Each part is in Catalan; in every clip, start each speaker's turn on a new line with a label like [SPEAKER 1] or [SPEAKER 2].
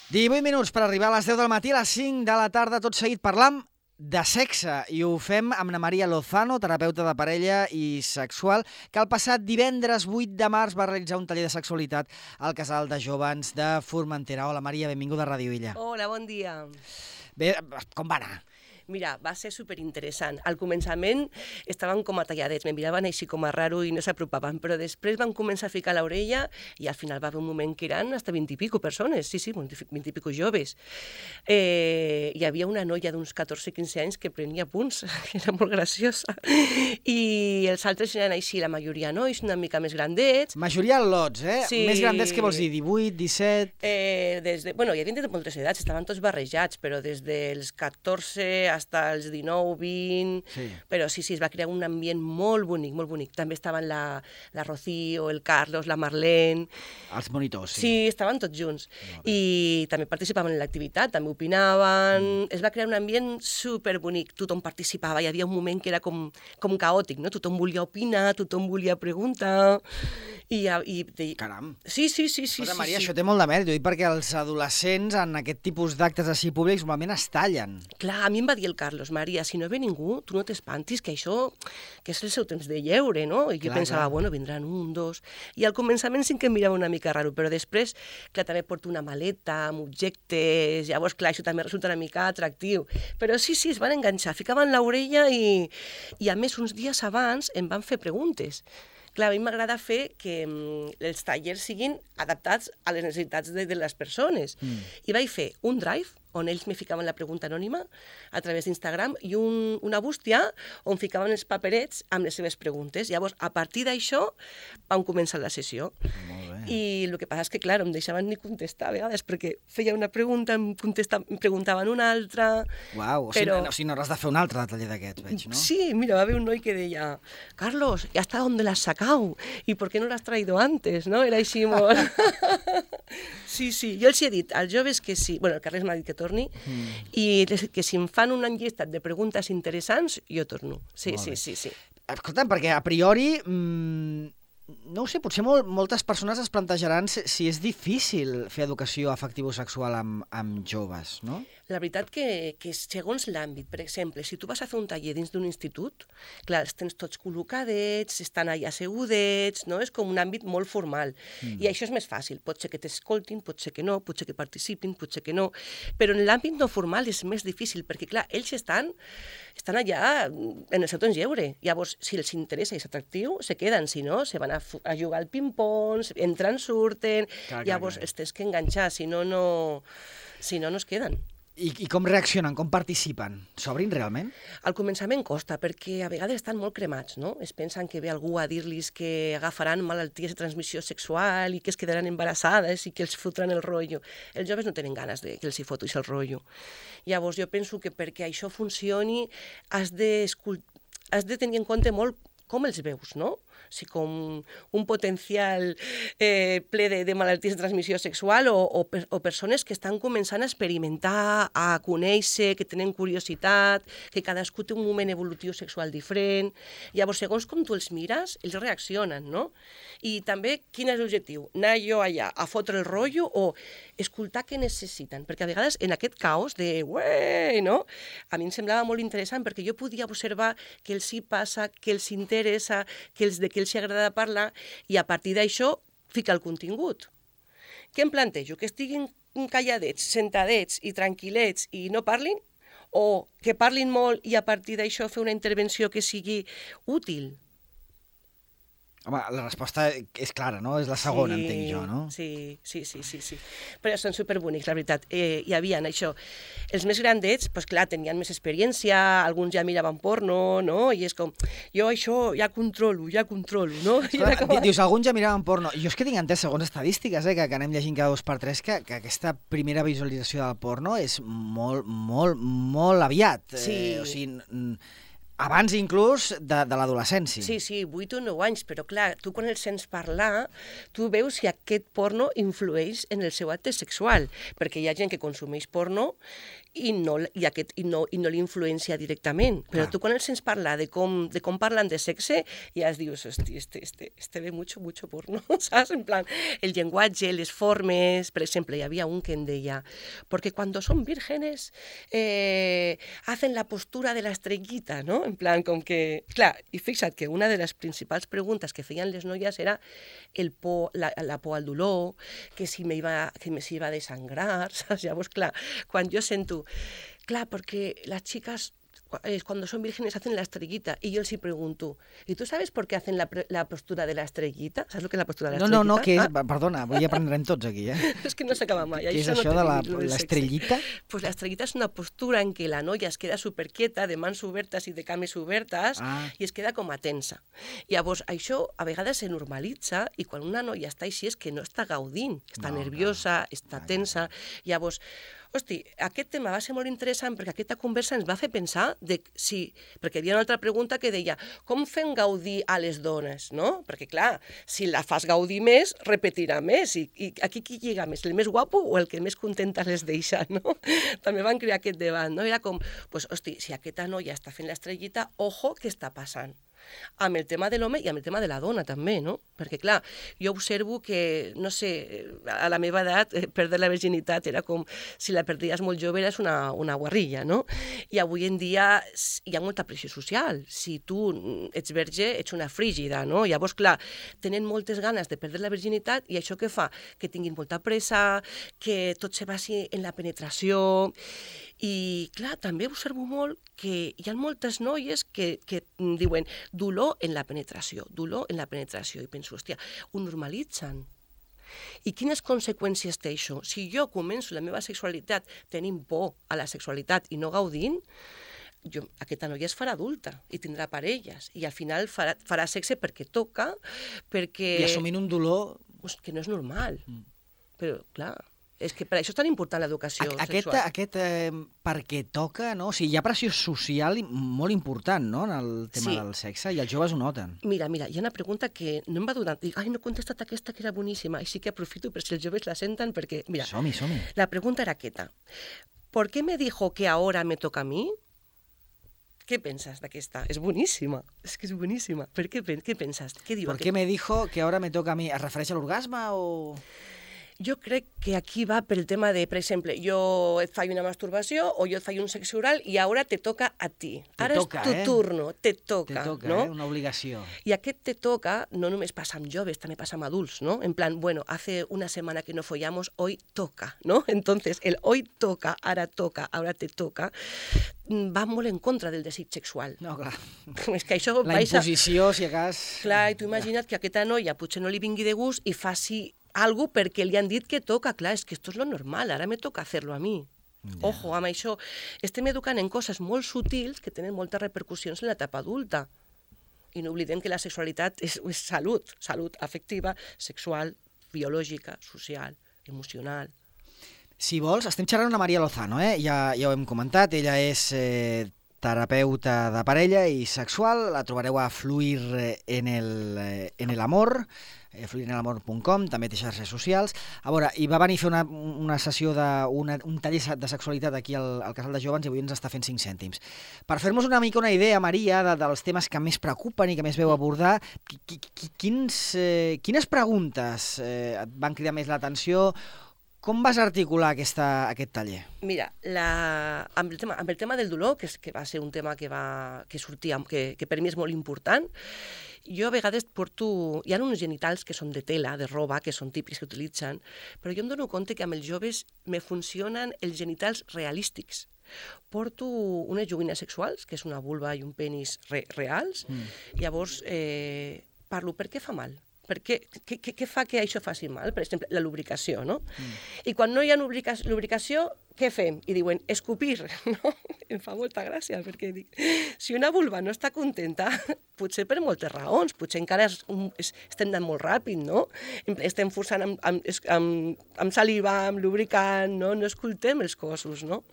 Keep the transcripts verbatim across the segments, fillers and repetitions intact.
[SPEAKER 1] divuit minuts per arribar a les deu del matí, a les cinc de la tarda, tot seguit parlam de sexe, i ho fem amb na Maria Lozano, terapeuta de parella i sexual, que el passat divendres vuit de març va realitzar un taller de sexualitat al Casal de Jóvens de Formentera. Hola, Maria, benvinguda a Ràdio Illa.
[SPEAKER 2] Hola, bon dia.
[SPEAKER 1] Bé, com va anar?
[SPEAKER 2] Mira, va ser superinteressant. Al començament estaven com a talladets, me miraven així com a raro i no s'apropaven, però després van començar a ficar l'orella i al final va haver un moment que eren hasta vint i pico persones, sí, sí, vint i pico joves. Eh, hi havia una noia d'uns catorze quinze anys que prenia punts, que era molt graciosa, i els altres eren així, la majoria nois, una mica més grandets.
[SPEAKER 1] Majoria lots, eh?
[SPEAKER 2] Sí.
[SPEAKER 1] Més grandets, què vols dir? divuit, disset...
[SPEAKER 2] Eh, des de, bueno, hi havia de moltes edats, estaven tots barrejats, però des dels catorze hasta els dinou, vint...
[SPEAKER 1] Sí.
[SPEAKER 2] Però sí, sí, es va crear un ambient molt bonic, molt bonic. També estaven la, la Rocío, el Carlos, la Marlene...
[SPEAKER 1] Els monitors, sí.
[SPEAKER 2] Sí, estaven tots junts. I també participaven en l'activitat, també opinaven... Mm. Es va crear un ambient superbonic, tothom participava, hi havia un moment que era com, com caòtic, no? Tothom volia opinar, tothom volia preguntar... I, i, i...
[SPEAKER 1] Caram.
[SPEAKER 2] Sí, sí, sí, sí.
[SPEAKER 1] Però,
[SPEAKER 2] sí,
[SPEAKER 1] Maria,
[SPEAKER 2] sí.
[SPEAKER 1] això té molt de mèrit, ho dic perquè els adolescents en aquest tipus d'actes així públics normalment es tallen.
[SPEAKER 2] Clar, a mi em va dir el Carlos, Maria, si no ve ningú, tu no t'espantis, que això que és el seu temps de lleure, no? I jo
[SPEAKER 1] Clar,
[SPEAKER 2] pensava,
[SPEAKER 1] clar.
[SPEAKER 2] bueno, vindran un, dos... I al començament sí que em mirava una mica raro, però després, clar, també porto una maleta amb objectes, llavors, clar, això també resulta una mica atractiu. Però sí, sí, es van enganxar, ficaven l'orella i, i a més, uns dies abans em van fer preguntes. Clar, a mi m'agrada fer que mm, els tallers siguin adaptats a les necessitats de, de les persones. Mm. I vaig fer un drive on ells me ficaven la pregunta anònima a través d'Instagram i un, una bústia on ficaven els paperets amb les seves preguntes. Llavors, a partir d'això, vam començar la sessió.
[SPEAKER 1] Molt bé.
[SPEAKER 2] I el que passa és que, clar, em deixaven ni contestar a vegades, perquè feia una pregunta, em, contesta, em preguntaven una altra...
[SPEAKER 1] Uau, o sigui,
[SPEAKER 2] però...
[SPEAKER 1] no, o sigui, no hauràs de fer un altre taller d'aquests, veig, no?
[SPEAKER 2] Sí, mira, va haver un noi que deia, Carlos, ¿y hasta dónde la has sacado? ¿Y por qué no la has traído antes? No? Era així molt... Sí, sí, jo els he dit als joves que sí, bueno, el Carles m'ha dit que torni, mm. i que si em fan un enllistat de preguntes interessants, jo torno. Sí,
[SPEAKER 1] Molt
[SPEAKER 2] sí,
[SPEAKER 1] bé.
[SPEAKER 2] sí, sí.
[SPEAKER 1] Escolta'm, perquè a priori, mmm, no ho sé, potser molt, moltes persones es plantejaran si, si és difícil fer educació afectivo-sexual amb, amb joves, no?
[SPEAKER 2] La veritat que, que segons l'àmbit, per exemple, si tu vas a fer un taller dins d'un institut, clar, els tens tots col·locadets, estan allà assegudets, no? És com un àmbit molt formal. Mm. I això és més fàcil. Pot ser que t'escoltin, pot ser que no, pot ser que participin, pot ser que no. Però en l'àmbit no formal és més difícil, perquè, clar, ells estan, estan allà en el seu temps lleure. Llavors, si els interessa i és atractiu, se queden. Si no, se van a, a jugar al ping-pong, entren, surten...
[SPEAKER 1] Clar, clar,
[SPEAKER 2] llavors,
[SPEAKER 1] clar.
[SPEAKER 2] els tens que enganxar, si no, no, si no, no es queden.
[SPEAKER 1] I, I com reaccionen, com participen? S'obrin realment?
[SPEAKER 2] Al començament costa, perquè a vegades estan molt cremats, no? Es pensen que ve algú a dir-los que agafaran malalties de transmissió sexual i que es quedaran embarassades i que els fotran el rotllo. Els joves no tenen ganes de que els hi fotis el rotllo. Llavors, jo penso que perquè això funcioni has de, has de tenir en compte molt com els veus, no? Si com un potencial eh, ple de, de malalties de transmissió sexual o, o, o persones que estan començant a experimentar, a conèixer, que tenen curiositat, que cadascú té un moment evolutiu sexual diferent. Llavors, segons com tu els mires, ells reaccionen, no? I també, quin és l'objectiu? Anar jo allà a fotre el rotllo o escoltar què necessiten? Perquè a vegades en aquest caos de ué, no? A mi em semblava molt interessant perquè jo podia observar què els hi passa, què els interessa, que els, de què els agrada parlar i a partir d'això fica el contingut. Què em plantejo? Que estiguin calladets, sentadets i tranquil·lets i no parlin? O que parlin molt i a partir d'això fer una intervenció que sigui útil?
[SPEAKER 1] Home, la resposta és clara, no? És la segona,
[SPEAKER 2] sí,
[SPEAKER 1] entenc jo, no?
[SPEAKER 2] Sí, sí, sí, sí, sí. Però són superbonics, la veritat. Eh, hi havia això. Els més grandets, doncs clar, tenien més experiència, alguns ja miraven porno, no? I és com, jo això ja controlo, ja controlo, no?
[SPEAKER 1] Esclar,
[SPEAKER 2] com...
[SPEAKER 1] Dius, alguns ja miraven porno. Jo és que tinc entès, segons estadístiques, eh, que, que anem llegint cada dos per tres, que, que aquesta primera visualització del porno és molt, molt, molt aviat.
[SPEAKER 2] Sí.
[SPEAKER 1] Eh, o sigui, abans inclús de, de l'adolescència.
[SPEAKER 2] Sí, sí, vuit o nou anys, però clar, tu quan el sents parlar, tu veus si aquest porno influeix en el seu acte sexual, perquè hi ha gent que consumeix porno i no, i aquest, i no, i no l'influencia directament, però
[SPEAKER 1] Clar.
[SPEAKER 2] tu quan el sents parlar de com, de com parlen de sexe, ja es dius, hosti, este, este, este ve mucho, mucho porno, saps? En plan, el llenguatge, les formes, per exemple, hi havia un que em deia, porque cuando son vírgenes eh, hacen la postura de la estrellita, ¿no? En plan, com que... Clar, i fixa't que una de les principals preguntes que feien les noies era el por, la, la por al dolor, que si me iba, que me si iba a desangrar, saps? Llavors, clar, quan jo sento... Clar, perquè les xiques eh, cuando son vírgenes hacen la estrellita y yo les pregunto, ¿y tú sabes por qué hacen la, la postura de la estrellita? ¿Sabes lo que es la postura de la
[SPEAKER 1] no,
[SPEAKER 2] estrellita?
[SPEAKER 1] No, no, que és...
[SPEAKER 2] Ah?
[SPEAKER 1] Perdona, avui aprendrem tots aquí, eh?
[SPEAKER 2] És que no s'acaba mai.
[SPEAKER 1] Què és
[SPEAKER 2] això,
[SPEAKER 1] això
[SPEAKER 2] no
[SPEAKER 1] de la,
[SPEAKER 2] la
[SPEAKER 1] l'estrellita?
[SPEAKER 2] Pues la estrellita és una postura en què la noia es queda superquieta, de mans obertes i de cames obertes,
[SPEAKER 1] Ah.
[SPEAKER 2] i es queda com a tensa. Llavors, això a vegades se normalitza i quan una noia està així és que no està gaudint, està
[SPEAKER 1] No,
[SPEAKER 2] nerviosa,
[SPEAKER 1] clar.
[SPEAKER 2] està
[SPEAKER 1] Clar,
[SPEAKER 2] tensa. Llavors, hosti, aquest tema va ser molt interessant perquè aquesta conversa ens va fer pensar de si... Perquè hi havia una altra pregunta que deia com fem gaudir a les dones, no? Perquè, clar, si la fas gaudir més, repetirà més. I, i aquí qui lliga més, el més guapo o el que més contenta les deixa, no? També van crear aquest debat, no? Era com, pues, hosti, si aquesta noia està fent l'estrellita, ojo, què està passant? Amb el tema de l'home i amb el tema de la dona també, no? Perquè, clar, jo observo que, no sé, a la meva edat, eh, perdre la virginitat era com si la perdies molt jove eres una, una guarrilla, no? I avui en dia hi ha molta pressió social. Si tu ets verge, ets una frígida, no? Llavors, clar, tenen moltes ganes de perdre la virginitat i això què fa? Que tinguin molta pressa, que tot se basi en la penetració. I, clar, també observo molt que hi ha moltes noies que, que diuen dolor en la penetració, dolor en la penetració. I penso, hòstia, ho normalitzen. I quines conseqüències té això? Si jo començo la meva sexualitat tenint por a la sexualitat i no gaudint, jo, aquesta noia es farà adulta i tindrà parelles i al final farà, farà sexe perquè toca, perquè...
[SPEAKER 1] I assumint un dolor...
[SPEAKER 2] Pues, que no és normal.
[SPEAKER 1] Mm.
[SPEAKER 2] Però, clar... És que per això és tan important l'educació
[SPEAKER 1] aquest,
[SPEAKER 2] sexual.
[SPEAKER 1] Aquest eh, perquè toca, no? O sigui, hi ha pressió social molt important, no?, en el tema
[SPEAKER 2] Sí.
[SPEAKER 1] del sexe, i els joves ho noten.
[SPEAKER 2] Mira, mira, hi ha una pregunta que no em va donar... Dic, ai, no he contestat aquesta que era boníssima. I sí que aprofito per si els joves la senten, perquè, mira,
[SPEAKER 1] Som-hi, som-hi.
[SPEAKER 2] la pregunta era aquesta. ¿Por qué me dijo que ahora me toca a mí? Què penses d'aquesta? És boníssima. És que és boníssima. Per què, què penses? Què diu
[SPEAKER 1] ¿Por
[SPEAKER 2] aquest?
[SPEAKER 1] qué me dijo que ahora me toca a mí? Es refereix a l'orgasme o...?
[SPEAKER 2] Jo crec que aquí va pel tema de, per exemple, jo et faig una masturbació o jo et faig un sexe oral i ara te toca a ti.
[SPEAKER 1] Te
[SPEAKER 2] Ara
[SPEAKER 1] toca,
[SPEAKER 2] és tu
[SPEAKER 1] eh?
[SPEAKER 2] turno, te toca,
[SPEAKER 1] Te toca,
[SPEAKER 2] no?
[SPEAKER 1] eh? Una obligació.
[SPEAKER 2] I aquest te toca no només passa amb joves, també passa amb adults, ¿no? En plan, bueno, hace una semana que no follamos, hoy toca, ¿no? Entonces, el hoy toca, ara toca, ara te toca, va molt en contra del desig sexual.
[SPEAKER 1] No, clar.
[SPEAKER 2] És que això...
[SPEAKER 1] La
[SPEAKER 2] vais a-
[SPEAKER 1] imposició, si a cas...
[SPEAKER 2] Clar, i tu imagina't que aquesta noia potser no li vingui de gust i faci algo perquè li han dit que toca. Clar, és que esto es lo normal, ara me toca hacerlo a mi.
[SPEAKER 1] Ja.
[SPEAKER 2] Ojo, amb això estem educant en coses molt sutils que tenen moltes repercussions en l'etapa adulta. I no oblidem que la sexualitat és, és salut, salut afectiva, sexual, biològica, social, emocional.
[SPEAKER 1] Si vols, estem xerrant amb Maria Lozano, eh? Ja, ja ho hem comentat, ella és eh, terapeuta de parella i sexual, la trobareu a Fluir en el, eh, en el Amor, eh, fluir en el amor punt com, també té xarxes socials. A veure, i va venir a fer una, una sessió, de, una, un taller de sexualitat aquí al, al Casal de Jóvens i avui ens està fent cinc cèntims. Per fer-nos una mica una idea, Maria, de, dels temes que més preocupen i que més veu abordar, qui, qui, quins, eh, quines preguntes eh, et van cridar més l'atenció? Com vas articular aquesta, aquest taller?
[SPEAKER 2] Mira, la, amb, el tema, amb el tema del dolor, que, és, que va ser un tema que, va, que sortia, que, que per mi és molt important, jo a vegades porto... Hi ha uns genitals que són de tela, de roba, que són típics que utilitzen, però jo em dono compte que amb els joves me funcionen els genitals realístics. Porto unes joguines sexuals, que és una vulva i un penis re, reals, mm. llavors eh, parlo, per què fa mal? Per què, què, què fa que això faci mal? Per exemple, la lubricació, no? Mm. I quan no hi ha lubricació, lubricació què fem? I diuen, escupir, no? Em fa molta gràcia, perquè dic, si una vulva no està contenta, potser per moltes raons, potser encara és un, és, estem anant molt ràpid, no? Estem forçant amb, amb, amb, amb saliva, amb lubricant, no? No escoltem els cossos, no?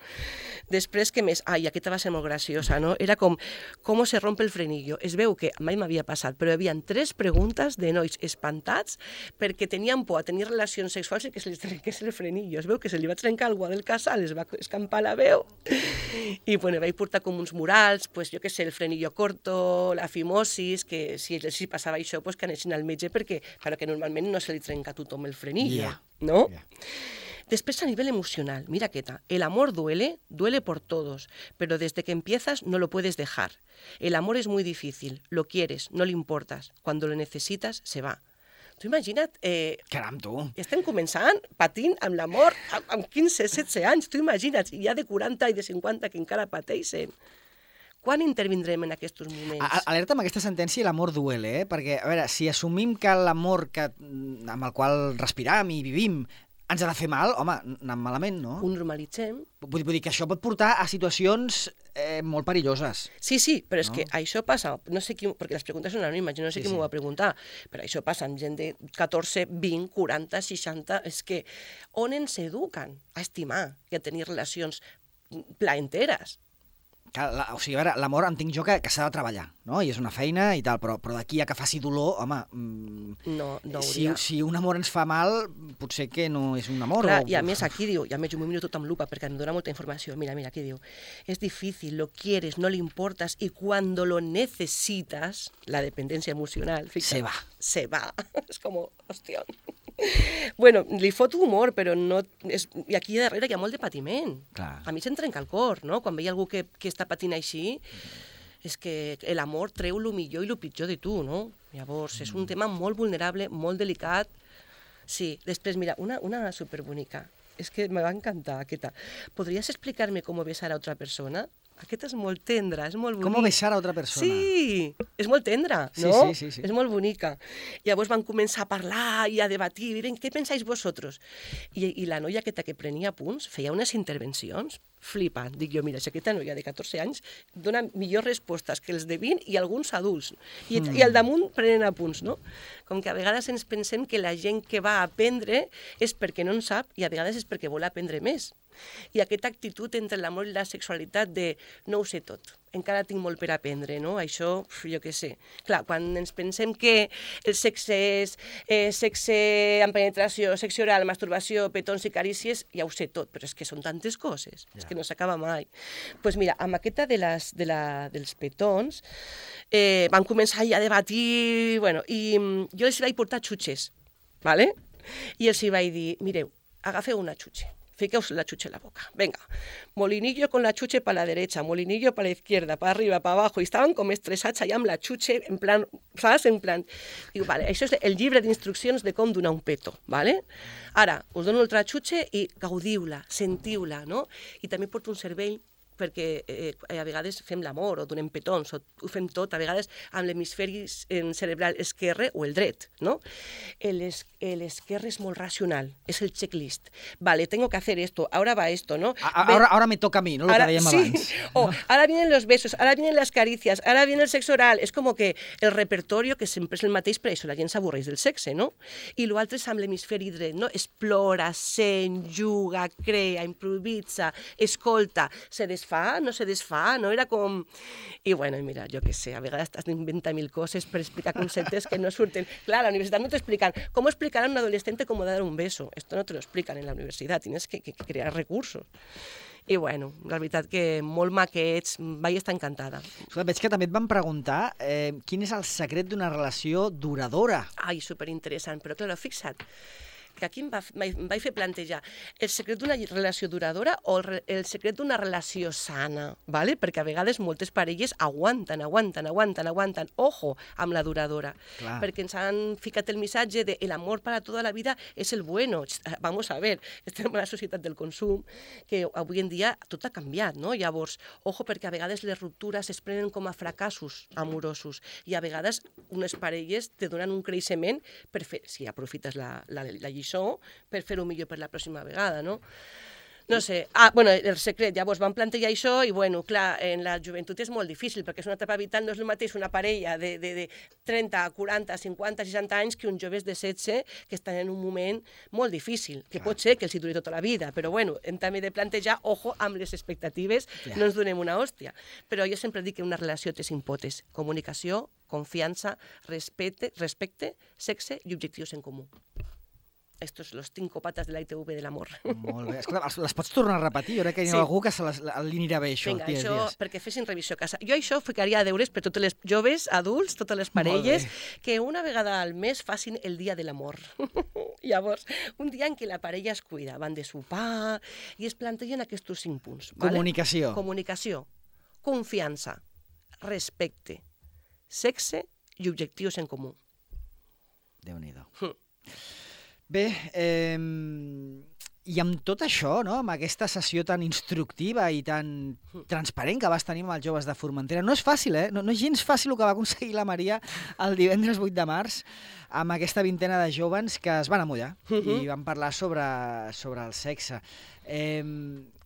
[SPEAKER 2] Després, què més? Ai, aquesta va ser molt graciosa, no? Era com, com se rompe el frenillo. Es veu que mai m'havia passat, però hi havia tres preguntes de nois espantats perquè tenien por a tenir relacions sexuals i que se li trenqués el frenillo. Es veu que se li va trencar algú del casal, es va escampar la veu i bueno, vaig portar com uns murals, pues, jo què sé, el frenillo corto, la fimosis, que si els hi passava això, pues, que anessin al metge perquè, claro, que normalment no se li trenca a tothom el frenillo,
[SPEAKER 1] yeah.
[SPEAKER 2] no?
[SPEAKER 1] Yeah.
[SPEAKER 2] Después, a nivel emocional, mira qué tal. El amor duele, duele por todos, pero desde que empiezas no lo puedes dejar. El amor es muy difícil, lo quieres, no le importas. Cuando lo necesitas, se va. Tu imagina't... Eh,
[SPEAKER 1] Caram, tu!
[SPEAKER 2] Estem començant patint amb l'amor amb, amb quinze setze anys. Tu imagina't, hi ha de quaranta i de cinquanta que encara pateixen. Quan intervindrem en aquests moments?
[SPEAKER 1] A Alerta amb aquesta sentència i l'amor duele, eh? Perquè, a veure, si assumim que l'amor que, amb el qual respiram i vivim ens ha de fer mal, home, anem malament, no?
[SPEAKER 2] Ho normalitzem.
[SPEAKER 1] Vull, vull dir que això pot portar a situacions eh, molt perilloses.
[SPEAKER 2] Sí, sí, però és
[SPEAKER 1] no?
[SPEAKER 2] que això passa, no sé qui, perquè les preguntes són anònimes, jo no sé sí, qui sí. m'ho va preguntar, però això passa amb gent de catorze, vint, quaranta, seixanta, és que on ens eduquen a estimar i a tenir relacions plaenteres?
[SPEAKER 1] La, o sigui, a veure, l'amor entenc jo que, que s'ha de treballar, no? I és una feina i tal, però, però d'aquí a que faci dolor, home, mmm,
[SPEAKER 2] no, no
[SPEAKER 1] si, si un amor ens fa mal, potser que no és un amor.
[SPEAKER 2] Clar,
[SPEAKER 1] o...
[SPEAKER 2] i a més aquí diu, i a més jo m'ho miro tot amb lupa perquè em dona molta informació, mira, mira, aquí diu, es difícil, lo quieres, no le importas, y cuando lo necesitas, la dependencia emocional, fíjate,
[SPEAKER 1] se va.
[SPEAKER 2] Se va, és com, hòstia... Bueno, li fot humor, però no... És... I aquí darrere hi ha molt de patiment.
[SPEAKER 1] Clar.
[SPEAKER 2] A mi se'm trenca el cor, no? Quan veia algú que, que està patint així, és que l'amor treu el millor i el pitjor de tu, no? Llavors, és un tema molt vulnerable, molt delicat. Sí, després, mira, una, una superbonica. És que me va encantar aquesta. ¿Podrías explicarme cómo besar a otra persona? Aquesta és molt tendra, és molt bonica.
[SPEAKER 1] Com besar a otra persona?
[SPEAKER 2] Sí, és molt tendra, no?
[SPEAKER 1] Sí, sí, sí, sí.
[SPEAKER 2] És molt bonica. Llavors van començar a parlar i a debatir, miren, què pensáis vosotros? I, i la noia aquesta que prenia punts feia unes intervencions flipant. Dic jo, mira, si aquesta noia de catorze anys dona millors respostes que els de vint i alguns adults. I, mm. i al damunt prenen apunts, no? Com que a vegades ens pensem que la gent que va a aprendre és perquè no en sap i a vegades és perquè vol aprendre més. I aquesta actitud entre l'amor i la sexualitat de no ho sé tot, encara tinc molt per aprendre, no? Això, jo què sé. Clar, quan ens pensem que el sexe és eh, sexe amb penetració, sexe oral, masturbació, petons i carícies, ja ho sé tot, però és que són tantes coses, ja. És que no s'acaba mai. Doncs pues mira, amb aquesta de les, de la, dels petons eh, van començar ja a debatir, bueno, i jo els vaig portar xutxes, ¿vale? I els vaig dir, mireu, agafeu una xutxa. Fiqueos la chuche en la boca. Venga, molinillo con la chuche para la derecha, molinillo para la izquierda, para arriba, para abajo. I estaven com estressats allà amb la chuche, en plan, saps? En plan... Diu, vale, això és el llibre d'instruccions de com donar un peto, vale? Ara, us dono l'altra chuche i gaudiu-la, sentiu-la, no? I també porto un cervell perquè eh, a vegades fem l'amor o donem petons, o ho fem tot, a vegades amb l'hemisferi cerebral esquerre o el dret, no? L'esquerre es molt racional, és el checklist. Vale, tengo que hacer esto, ahora va esto, ¿no?
[SPEAKER 1] Ahora, ahora me toca a mí, ¿no? Lo
[SPEAKER 2] ahora,
[SPEAKER 1] que dèiem
[SPEAKER 2] sí.
[SPEAKER 1] abans.
[SPEAKER 2] O ahora vienen los besos, ahora vienen las caricias, ahora viene el sexo oral. És com que el repertorio, que sempre és el mateix, per això la gent s'avorreix del sexe, no? I l'altre és amb l'hemisferi dret, no? Explora, sent, juga, crea, improvisa, escolta, se desfà, no se desfà, no? Era com... I bueno, mira, jo què sé, a vegades t'has d'inventar mil coses per explicar conceptes que no surten. Clar, a la universitat no t'explican com explicar a un adolescente cómo dar un beso. Esto no te lo explican en la universitat, tienes que, que, que crear recursos. I bueno, la veritat que molt maquets, vaig estar encantada.
[SPEAKER 1] Escolta, veig que també et van preguntar eh, quin és el secret d'una relació duradora.
[SPEAKER 2] Ai, superinteressant, però clar, fixa't, que aquí em, va, em vaig fer plantejar el secret d'una relació duradora o el, el secret d'una relació sana, ¿vale? Perquè a vegades moltes parelles aguanten, aguanten, aguanten, aguanten, ojo, amb la duradora,
[SPEAKER 1] Clar.
[SPEAKER 2] Perquè ens han ficat el missatge de el amor para toda la vida és el bueno. Vamos a ver, estem en la societat del consum, que avui en dia tot ha canviat, no? Llavors, ojo, perquè a vegades les ruptures es prenen com a fracassos amorosos i a vegades unes parelles te donen un creixement per fer, si aprofites la, la, la lliçó, per fer-ho millor per la pròxima vegada, no? No sé. Ah, bueno, el secret, llavors van plantejar això i, bueno, clar, en la joventut és molt difícil, perquè és una etapa vital, no és el mateix una parella de, de, de trenta, quaranta, cinquanta, seixanta anys que uns joves de setze que estan en un moment molt difícil, que clar. Pot ser que els hi duri tota la vida, però, bueno, hem també de plantejar, ojo, amb les expectatives, ja. No ens donem una hòstia. Però jo sempre dic que una relació té cinc potes: comunicació, confiança, respecte, respecte, sexe i objectius en comú. Estos los cinco patas de la I T V de l'amor.
[SPEAKER 1] Molt bé. Escolta, les pots tornar a repetir? Jo crec que hi ha sí. algú que se les alinearà bé, això.
[SPEAKER 2] Vinga, dies, això, dies. Perquè fessin revisió a casa. Jo això ficaria a deures per totes les joves, adults, totes les parelles, que una vegada al mes facin el dia de l'amor. Llavors, un dia en què la parella es cuida, van de sopar i es plantegen aquests cinc punts.
[SPEAKER 1] Comunicació.
[SPEAKER 2] Vale? Comunicació, confiança, respecte, sexe i objectius en comú.
[SPEAKER 1] Déu-n'hi-do. Hm. Bé, eh, i amb tot això, no? Amb aquesta sessió tan instructiva i tan transparent que vas tenir amb els joves de Formentera, no és fàcil, eh? No, no és gens fàcil el que va aconseguir la Maria el divendres vuit de març amb aquesta vintena de joves que es van amollar uh-huh. i van parlar sobre, sobre el sexe. Eh,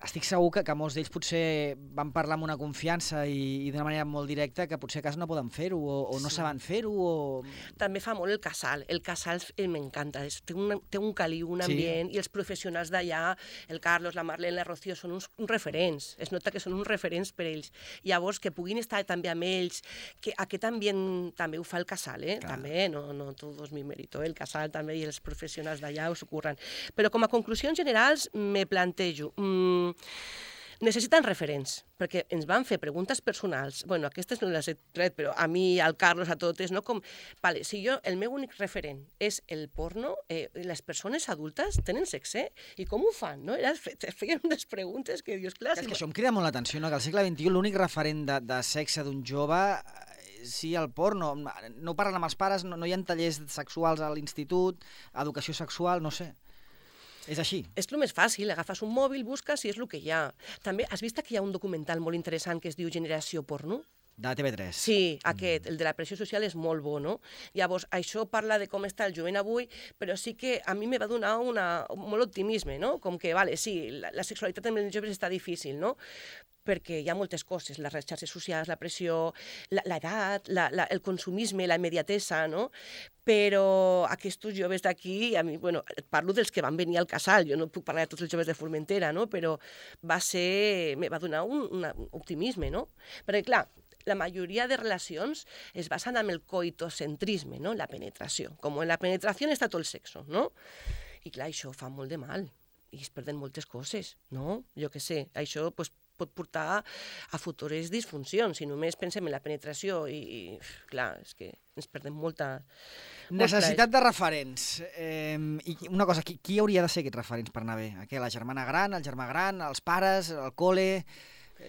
[SPEAKER 1] estic segur que, que molts d'ells potser van parlar amb una confiança i, i d'una manera molt directa que potser a casa no poden fer-ho o, o no sí. saben fer-ho. O...
[SPEAKER 2] També fa molt el casal. El casal m'encanta. Té, un, té un caliu, un ambient, sí. i els professionals d'allà, el Carlos, la Marlene, la Rocío, són uns, uns referents. Es nota que són uns referents per ells. Llavors, que puguin estar també amb ells, que aquest ambient també ho fa el casal, eh? Clar. També, no, no tot és mi mérito, eh? El casal també i els professionals d'allà ho s'ocorren. Però com a conclusions generals me plantejo... Mm, necessiten referents, perquè ens van fer preguntes personals. Bueno, aquestes no les he tret, però a mi, al Carlos, a totes, no? Com, vale, si jo, el meu únic referent és el porno, eh, les persones adultes tenen sexe? I com ho fan, no? Era, feien unes preguntes que dius, clar...
[SPEAKER 1] És que això em crida molt l'atenció, no? Que al segle vint-i-u l'únic referent de, de sexe d'un jove... Sí, el porno. No parlen amb els pares, no, no hi ha tallers sexuals a l'institut, educació sexual, no sé. És així. És
[SPEAKER 2] el més fàcil, agafes un mòbil, busques i és el que hi ha. També has vist que hi ha un documental molt interessant que es diu Generació Porno?
[SPEAKER 1] De T V tres.
[SPEAKER 2] Sí, aquest, el de la pressió social, és molt bo, no? Llavors, això parla de com està el jovent avui, però sí que a mi me va donar una, molt optimisme, no? Com que, vale, sí, la, la sexualitat amb els joves està difícil, no? Perquè hi ha moltes coses, les xarxes socials, la pressió, l'edat, la, la, el consumisme, la immediatesa, no? Però aquests joves d'aquí, a mi, bueno, parlo dels que van venir al casal, jo no puc parlar de tots els joves de Formentera, no? Però va ser, me va donar un, un optimisme, no? Perquè, clar, la majoria de relacions es basen en el coitocentrisme, no? La penetració. Com en la penetració està tot el sexo, no? I clar, això fa molt de mal i es perden moltes coses, no? Jo què sé, això pues, pot portar a futures disfuncions. Si només pensem en la penetració i, i clar, és que ens perdem molta...
[SPEAKER 1] Necessitat de referents. Eh, i una cosa, qui, qui hauria de ser aquests referents per anar bé? Aquella, la germana gran, el germà gran, els pares, el col·le...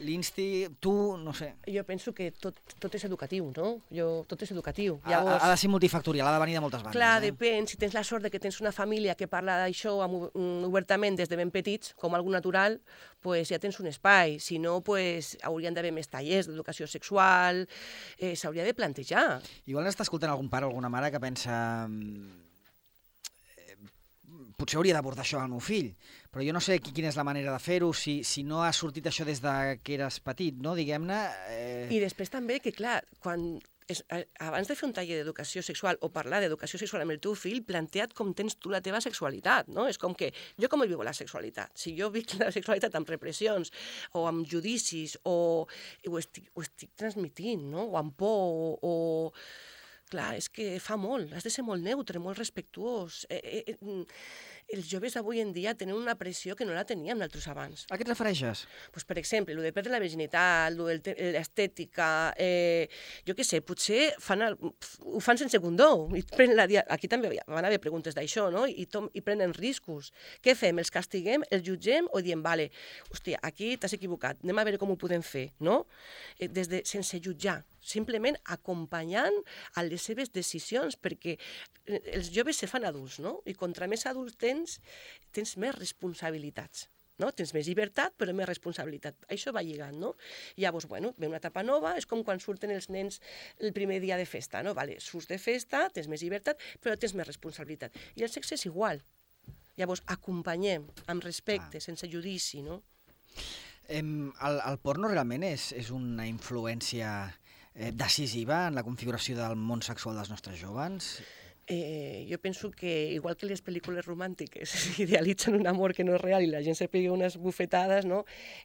[SPEAKER 1] L'Insti, tu, no sé...
[SPEAKER 2] Jo penso que tot, tot és educatiu, no? Jo, tot és educatiu.
[SPEAKER 1] Ha, Llavors, ha de ser multifactorial, ha de venir de moltes bandes.
[SPEAKER 2] Clar,
[SPEAKER 1] eh?
[SPEAKER 2] depèn. Si tens la sort de que tens una família que parla d'això obertament des de ben petits, com algú natural, pues ja tens un espai. Si no, pues, haurien d'haver més tallers d'educació sexual, eh, s'hauria de plantejar.
[SPEAKER 1] Igual està escoltant algun pare o alguna mare que pensa... potser hauria d'abordar això al meu fill, però jo no sé quina és la manera de fer-ho, si, si no ha sortit això des de que eres petit, no? Diguem-ne...
[SPEAKER 2] Eh... I després també que, clar, quan és, abans de fer un taller d'educació sexual o parlar d'educació sexual amb el teu fill, plantea't com tens tu la teva sexualitat, no? És com que, jo com viu la sexualitat? Si jo vic la sexualitat amb repressions o amb judicis o ho estic, ho estic transmitint, no? O amb por o... o... Clar, és que fa molt, has de ser molt neutre, molt respectuós. Eh, eh, els joves avui en dia tenen una pressió que no la teníem nosaltres abans.
[SPEAKER 1] A què et refereixes?
[SPEAKER 2] Pues, per exemple, el de perdre la virginitat, l'estètica, eh, jo què sé, potser fan el, ho fan sense condó. I la, aquí també van haver preguntes d'això, no? I, tom, I prenen riscos. Què fem? Els castiguem, els jutgem o diem, vale, hòstia, aquí t'has equivocat, anem a veure com ho podem fer, no? Eh, des de, sense jutjar, simplement acompanyant a les seves decisions, perquè els joves se fan adults, no? I contra més adults tens, tens més responsabilitats, no? Tens més llibertat, però més responsabilitat. Això va lligant, no? Llavors, bueno, ve una etapa nova, és com quan surten els nens el primer dia de festa, no? Vale, surts de festa, tens més llibertat, però tens més responsabilitat. I el sexe és igual. Llavors, acompanyem amb respecte,
[SPEAKER 1] Ah.
[SPEAKER 2] sense judici, no?
[SPEAKER 1] Em, el, el porno realment és, és una influència eh, decisiva en la configuració del món sexual dels nostres jóvens?
[SPEAKER 2] Eh, jo penso que, igual que les pel·lícules romàntiques idealitzen un amor que no és real i la gent se pega unes bufetades, no?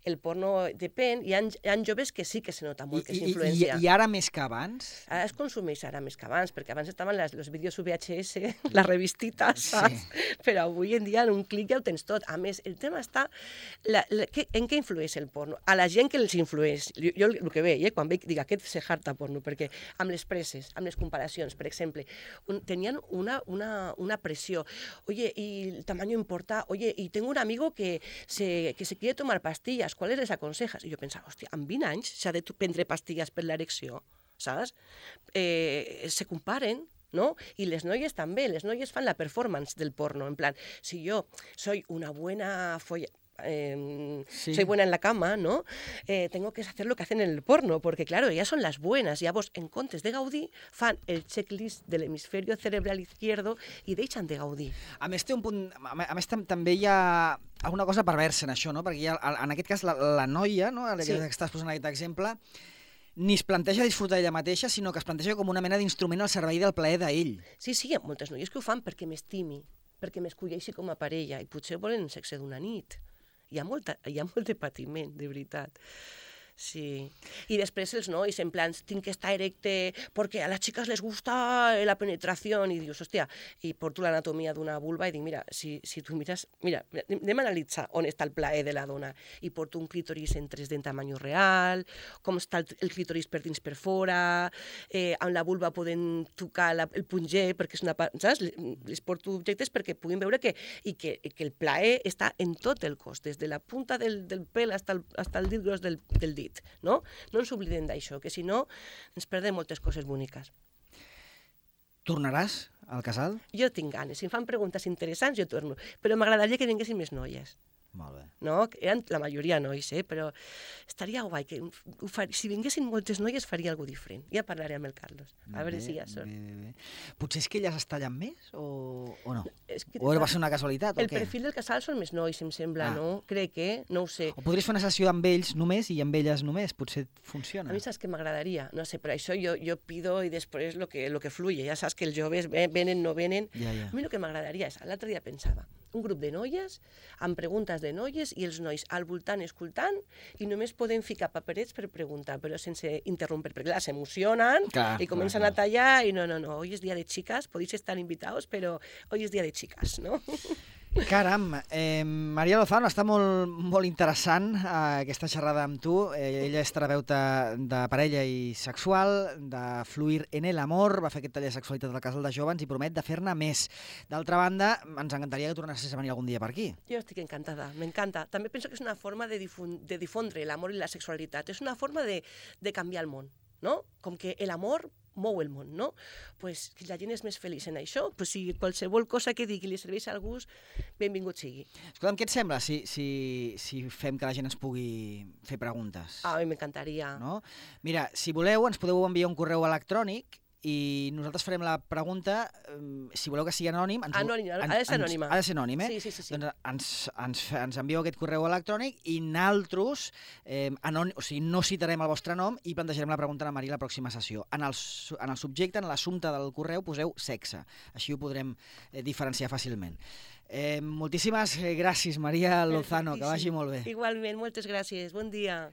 [SPEAKER 2] El porno depèn. Hi ha, hi ha joves que sí que se nota molt
[SPEAKER 1] I,
[SPEAKER 2] que és
[SPEAKER 1] i, i,
[SPEAKER 2] influència.
[SPEAKER 1] I ara més que abans?
[SPEAKER 2] Ara es consumeix ara més que abans, perquè abans estaven les, els vídeos U V H S, les revistites, saps?
[SPEAKER 1] Sí.
[SPEAKER 2] Però avui en dia en un clic ja ho tens tot. A més, el tema està... La, la, que, en què influeix el porno? A la gent que els influeix. Jo, jo el que veig, eh, quan veig, dic, aquest se harta porno, perquè amb les preses, amb les comparacions, per exemple, un, tenien una, una, una presión. Oye, y el tamaño importa. Oye, y tengo un amigo que se, que se quiere tomar pastillas. ¿Cuáles les aconsejas? I jo pensava, hòstia, amb vint anys s'ha de prendre pastilles per l'erecció, saps? Eh, se comparen, ¿no? Y les noies també, les noies fan la performance del porno, en plan, si yo soy una buena folla... Eh,
[SPEAKER 1] sí.
[SPEAKER 2] soy buena en la cama, ¿no? Eh, tengo que hacer lo que hacen en el porno, porque claro, ellas son las buenas, ya vos en comptes de gaudir fan el checklist de l'hemisferio cerebral izquierdo i deixen de gaudir.
[SPEAKER 1] A més, té un punt, a més tam també hi ha alguna cosa perversa en això, no? Perquè hi ha, en aquest cas la, la noia, no? La que sí. estàs posant aquest exemple, ni es planteja disfrutar ella mateixa, sinó que es planteja com una mena d'instrument al servei del plaer d'ell.
[SPEAKER 2] Sí, sí, hi ha moltes noies que ho fan perquè m'estimi, perquè m'escolleixi com a parella, i potser volen sexe d'una nit. Hi ha, molta, hi ha molt de patiment, de veritat. Sí. I després els nois, en plan, tinc que estar erecte perquè a les xiques les gusta la penetració, i dius, hòstia, i porto l'anatomia d'una vulva i dic, mira, si, si tu mires, mira, anem a analitzar on està el plaer de la dona, i porto un clítoris en tres D en tamany real, com està el, el clítoris per dins per fora, eh, amb la vulva poden tocar la, el punyer, perquè és una part, saps? Les porto objectes perquè puguin veure que, i que, que el plaer està en tot el cos, des de la punta del, del pèl fins el, fins el dit gros del, del dit. No? No ens oblidem d'això, que si no ens perdem moltes coses boniques.
[SPEAKER 1] Tornaràs al casal?
[SPEAKER 2] Jo tinc ganes. Si em fan preguntes interessants, jo torno. Però m'agradaria que vinguessin més noies.
[SPEAKER 1] Molt bé.
[SPEAKER 2] No? Eren la majoria nois, eh? Però estaria guai. Que ho far... Si vinguessin moltes noies faria alguna cosa diferent. Ja parlaré amb el Carlos. A veure si ja són.
[SPEAKER 1] Bé, bé, bé. Potser és que elles es tallen més o, o no?
[SPEAKER 2] És que,
[SPEAKER 1] o va ser una casualitat
[SPEAKER 2] el
[SPEAKER 1] o què?
[SPEAKER 2] El perfil del casal són més nois, em sembla,
[SPEAKER 1] ah.
[SPEAKER 2] no? Crec que, no ho sé.
[SPEAKER 1] O podries fer una sessió amb ells només i amb elles només, potser funciona.
[SPEAKER 2] A mi saps que m'agradaria, no sé, però això jo, jo pido i després lo que, lo que fluye. Ja saps que els joves venen, no venen.
[SPEAKER 1] Ja, ja.
[SPEAKER 2] A mi el que m'agradaria és, l'altre dia pensava, un grup de noies amb preguntes de noies i els nois al voltant escoltant i només poden ficar paperets per preguntar, però sense interrompre, perquè clar, s'emocionen i comencen clar, clar. a tallar i no, no, no, hoy es dia de chicas, podéis estar invitados, però hoy es dia de chicas, no?
[SPEAKER 1] Caram, eh, Maria Lozano, està molt, molt interessant eh, aquesta xerrada amb tu. Eh, ella és terapeuta de parella i sexual, de Fluir en el Amor, va fer aquest taller de sexualitat al Casal de Jóvens i promet de fer-ne més. D'altra banda, ens encantaria que tornessis a venir algun dia per aquí.
[SPEAKER 2] Jo estic encantada, m'encanta. També penso que és una forma de, difun de difondre l'amor i la sexualitat. És una forma de, de canviar el món, no? Com que l'amor mou el món, no? Pues, si la gent és més feliç en això, pues, si qualsevol cosa que digui li serveix a algú, benvingut sigui.
[SPEAKER 1] Escolta'm, què et sembla si, si, si fem que la gent ens pugui fer preguntes?
[SPEAKER 2] Ah, a mi m'encantaria.
[SPEAKER 1] No? Mira, si voleu, ens podeu enviar un correu electrònic i nosaltres farem la pregunta, si voleu que sigui anònim... Ens,
[SPEAKER 2] anònim, ha de ser anònima.
[SPEAKER 1] Ha de ser anònim, eh?
[SPEAKER 2] Sí, sí, sí. sí.
[SPEAKER 1] Doncs ens, ens, ens envieu aquest correu electrònic i nosaltres eh, anònim, o sigui, no citarem el vostre nom i plantejarem la pregunta a la Maria la pròxima sessió. En el, en el subjecte, en l'assumpte del correu, poseu sexe. Així ho podrem eh, diferenciar fàcilment. Eh, moltíssimes gràcies, Maria Lozano, que vagi molt bé.
[SPEAKER 2] Igualment, moltes gràcies. Bon dia.